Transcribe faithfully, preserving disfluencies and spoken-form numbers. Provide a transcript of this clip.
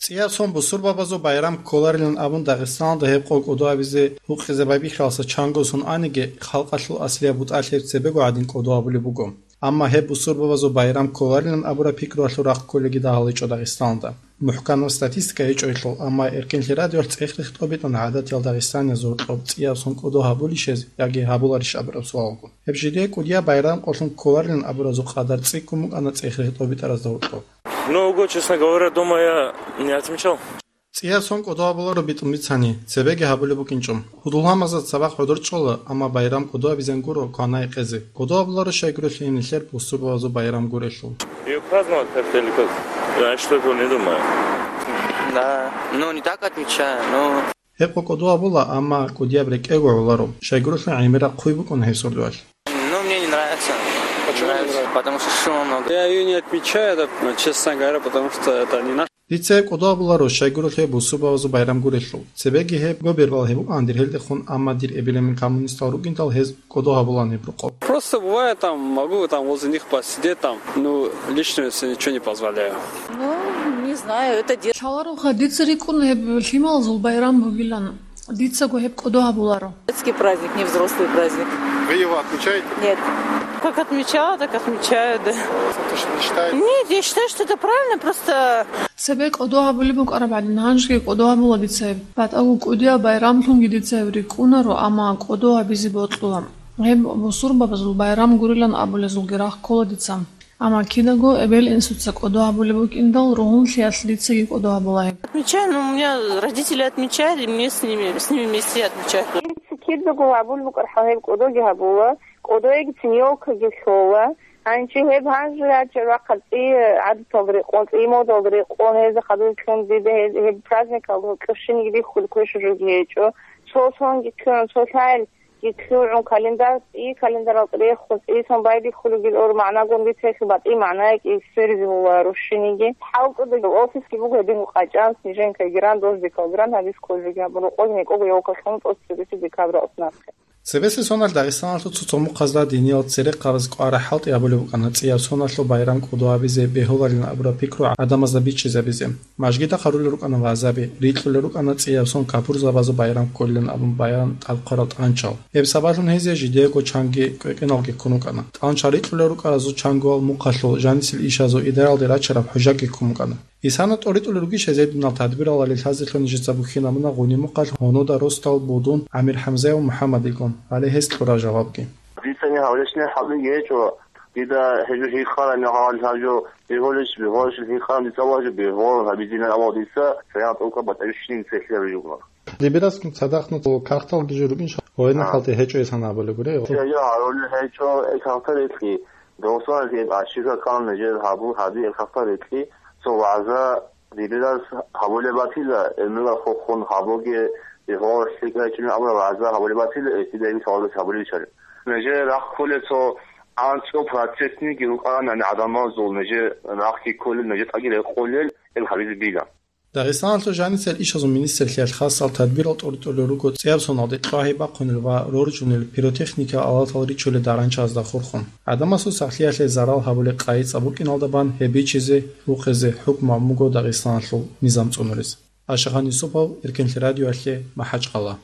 ЦӀияв сон бусурбабазул байрам кколарилан абун Дагъистаналда гьеб къо кӀодо гьабизе гьукъизе байбихьаласа чанго сон аниги, халкъалъул аслияб бутӀалъи гьеб цебего гӀадин кӀодо гьабулеб буго. Амма гьеб бусурбабазул байрам кколарилан абураб пикруялъул рахъ кколеги дагьал гьечӀо Дагъистаналда. МухӀканаб статистика гьечӀойлъул, амма Эркенлъи радиоялъ цӀех-рех тӀобитӀана гӀадатиял Дагъистаниязул гьоркьоб цӀияв сон кӀодо гьабулищ гьез яги гьабуларищ абураб суалгун. Гьеб жидее кӀудияб байрам къолъун кколарилан абуразул къадар цӀикӀкӀун букӀана цӀех-рех тӀобитӀаразда гьоркьоб. Ну, ого, честно говоря, дома я не отмечал. ЦӀияв сон кӀодо гьабуларо битӀун бицани, цебеги гьабулеб букӀинчӀо. Гьудул-гьамазда цабахъ гӀодор чӀола, амма байрам кӀодо гьабизен гуро квана-гьекъезе. КӀодо гьабуларо щайгурелъул гьенилъер бусурбабазул байрам гурелъул. Её праздновать как-то или как? Я что-то не думаю. Да, ну не так отмечаю, но Гьеб къо кӀодо гьабула, амма кӀудияб рекӀелго гӀоларо. Щайгурелъул гӀемераб хъуй букӀун гьеб сордоялъ. Ну, мне не нравится. Почему не нравится? Потому что шума много. Я её не отмечаю, это, ну, честно говоря, потому что это не наш. Дица гьеб кӀодо гьабуларо, щайгурелъул гьеб бусурбабазул байрам гурелъул. Цебеги гьеб гобергал гьеб букӀан дир гьелдехун, амма дир эбел-эмен коммунистал рукӀиндал гьез кӀодо гьабулаан гьеб рукъоб. Просто бывает там, могу там возле них посидеть там, ну, лично если ничего не позволяю. Ну, не знаю, это де- Лъалароха дица рикӀкӀун гьеб лъималазул байрам бугилан. Дицаго гьеб кӀодо гьабуларо. Детский праздник, не взрослый праздник. Вы его отмечаете? Нет. Как отмечала, так отмечаю, да. Потому что не считаете? Нет, я считаю, что это правильно, просто Цебе кӀодо гьабулеб букӀараб гӀадин, гьанжеги кӀодо гьабула дица гьеб. БатӀаго кӀудияб байрамлъунги дица гьеб рикӀкӀунаро, амма кӀодо гьабизе бокьула. Гьеб бусурбабазул байрам гурилан абулезулги рахъ ккола дица. Амма кидаго эбел-инсуца кӀодо гьабулеб букӀиндал, ругьунлъиялъ дицаги кӀодо гьабула гьеб. Отмечаю, но у меня родители отмечают, и мне с ними, с ними вместе отмечают. Кидаго гьабулеб букӀархӀал гьеб кӀодоги гьабула, кӀодоегицин ёлкаги лъола. Гьанже гьеб гьанже ячӀа рахъал цӀи гӀадаталда рекъон, цӀи модалда рекъон, гьезда хадур ккун дида гьез, гьеб праздникалда гьоркьоб щинги бихьулеб квешаб жоги гьечӀо. Цо сонги ккун, цо лъаялги ккун, календар, цӀи календаралда рехун, цӀи сон байбихьулеб гьел ор магӀнагун бицехи батӀи магӀна якӀи сверизе гьула рушшиниги. ХӀалтӀудаги офисги буго гьедин къачӀан, снежинка гран, дождикал гран, гьабиз кколеги гьабун, рокъоги некӀого ёлка лъун тӀоцебесеб декабрь ос нахъе. Цебесеб соналъ Дагъистаналъул цо-цо мухъазда диниял церехъабаз кӀварахӀалтӀи гьабулеб букӀана цӀияв соналъул байрам кӀодо гьабизе бегьуларилан абураб пикру гӀадамазда бичӀчӀизабизе. Мажгида хъарулел рукӀана вагӀзаби, рикьулел рукӀана цӀияв сон капурзабазул байрам кколилан абун баян тӀадхъарал тӀанчал. Гьеб сабаблъун гьезие жидеего чанги кӀвекӀеналги ккун рукӀана. ТӀанчал рикьулел рукӀаразул чангоял мухъалъул жанисел ишазул идараялде рачараб хӀужаги ккун букӀана. Исана тӀоритӀулел ругищ гьезие динал тадбиралалде лъазелъул нижеца бухьинабуна гъуниб мухъалъ гьунуда росдал будун ГӀамирхӀамзаев МухӀаммадилгун, гьале гьес кьураб жавабги. Дица гьавлечни хӀалиги гьечӀо, дида гьежо гьикъараб мегъал гьажо бегьулищ, бегьулищ гьикъараб дица ва гьажо бегьул гьабизилан абал дица, шагьарат тӀокӀаб батӀа-, вищин цехлъи гьабижугун. Дибирас цадахъ нуц карталги жо рукӀин ша-, гьойна А. хӀалтӀи гьечӀо исана абулеб гури. Я, я, гьарулел гьечӀо, э, картал рекьи. Досман гьеб ашиха ккан нижер гьабу-, гьаби эр хахтарикьи, цо вагӀза дибирас гьабулеб батила, гӀемерал хохун гьабуге, бегьуал лъикӀ гьечӀин абураб вагӀза гьабулеб батила, эсидаги лъаларес гьабулеб чӀараб. Нижер рахъ кколел цо анцӀго процентниги рукӀаран, яни гӀадамазул нижер рахъги кколел, нижер тӀаги рекъолел, гьеб гьабизе била. Дагъистаналъул жанисел ишазул министрлъиялъ хасал тадбирал тӀоритӀулел руго цӀияб соналде кьвагьи бахъунел ва роржунел, пиротехникиял алатал ричулел даранчазда хурхун. ГӀадамасул сахлъиялъе зарал гьабулеб къайи цӀа букӀиналда бан гьеб бичизе, рухъизе хӀукму гьабун буго Дагъистаналъул низам цӀунурез. Ашагъан Юсупов, Эркенлъи радиоялъе, МахӀачкъала.